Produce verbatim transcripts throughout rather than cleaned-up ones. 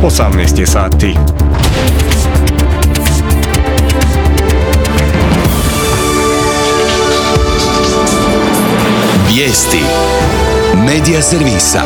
osamnaest je sati. Vijesti Medija servisa.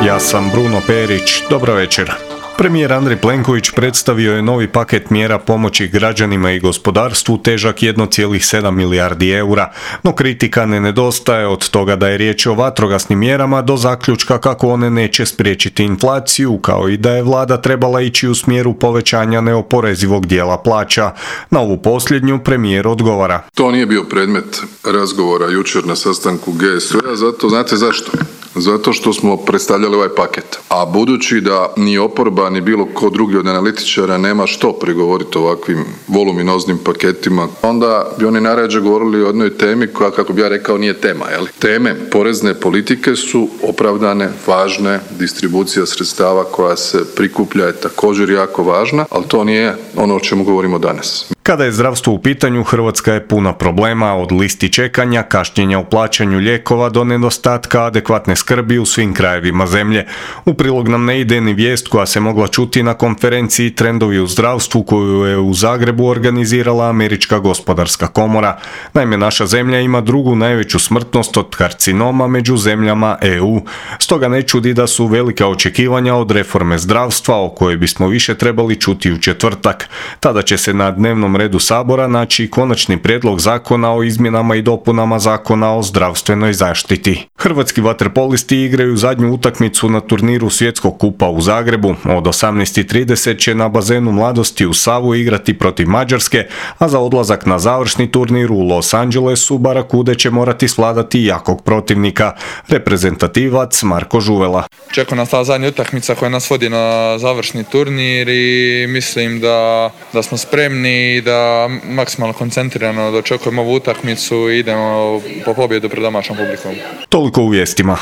Ja sam Bruno Perić, dobro večer. Premijer Andrej Plenković predstavio je novi paket mjera pomoći građanima i gospodarstvu težak jedan zarez sedam milijardi eura, no kritika ne nedostaje od toga da je riječ o vatrogasnim mjerama do zaključka kako one neće spriječiti inflaciju, kao i da je vlada trebala ići u smjeru povećanja neoporezivog dijela plaća. Na ovu posljednju premijer odgovara. To nije bio predmet razgovora jučer na sastanku G S V-a, zato znate zašto? Zato što smo predstavljali ovaj paket. A budući da ni oporba ni bilo ko drugi od analitičara nema što prigovoriti o ovakvim voluminoznim paketima, onda bi oni najrađe govorili o jednoj temi koja, kako bi ja rekao, nije tema. Jel? Teme porezne politike su opravdane, važne, distribucija sredstava koja se prikuplja je također jako važna, ali to nije ono o čemu govorimo danas. Kada je zdravstvo u pitanju, Hrvatska je puna problema, od listi čekanja, kašnjenja u plaćanju lijekova do nedostatka adekvatne skrbi u svim krajevima zemlje. U prilog nam ne ide ni vijest koja se mogla čuti na konferenciji Trendovi u zdravstvu koju je u Zagrebu organizirala Američka gospodarska komora. Naime, naša zemlja ima drugu najveću smrtnost od karcinoma među zemljama E U. Stoga ne čudi da su velika očekivanja od reforme zdravstva o kojoj bismo više trebali čuti u četvrtak. Tada će se na dnevnom redu Sabora naći konačni prijedlog zakona o izmjenama i dopunama Zakona o zdravstvenoj zaštiti. Hrvatski vaterpolisti igraju zadnju utakmicu na turniru Svjetskog kupa u Zagrebu. Od osamnaest i trideset će na bazenu Mladosti u Savu igrati protiv Mađarske, a za odlazak na završni turnir u Los Angelesu Barakude će morati svladati jakog protivnika, reprezentativac Marko Žuvela. Čeka nas ta zadnja utakmica koja nas vodi na završni turnir i mislim da, da smo spremni i da maksimalno koncentrirano dočekujemo ovu utakmicu i idemo po pobjedu pred domaćom publikom. Toliko u vijestima.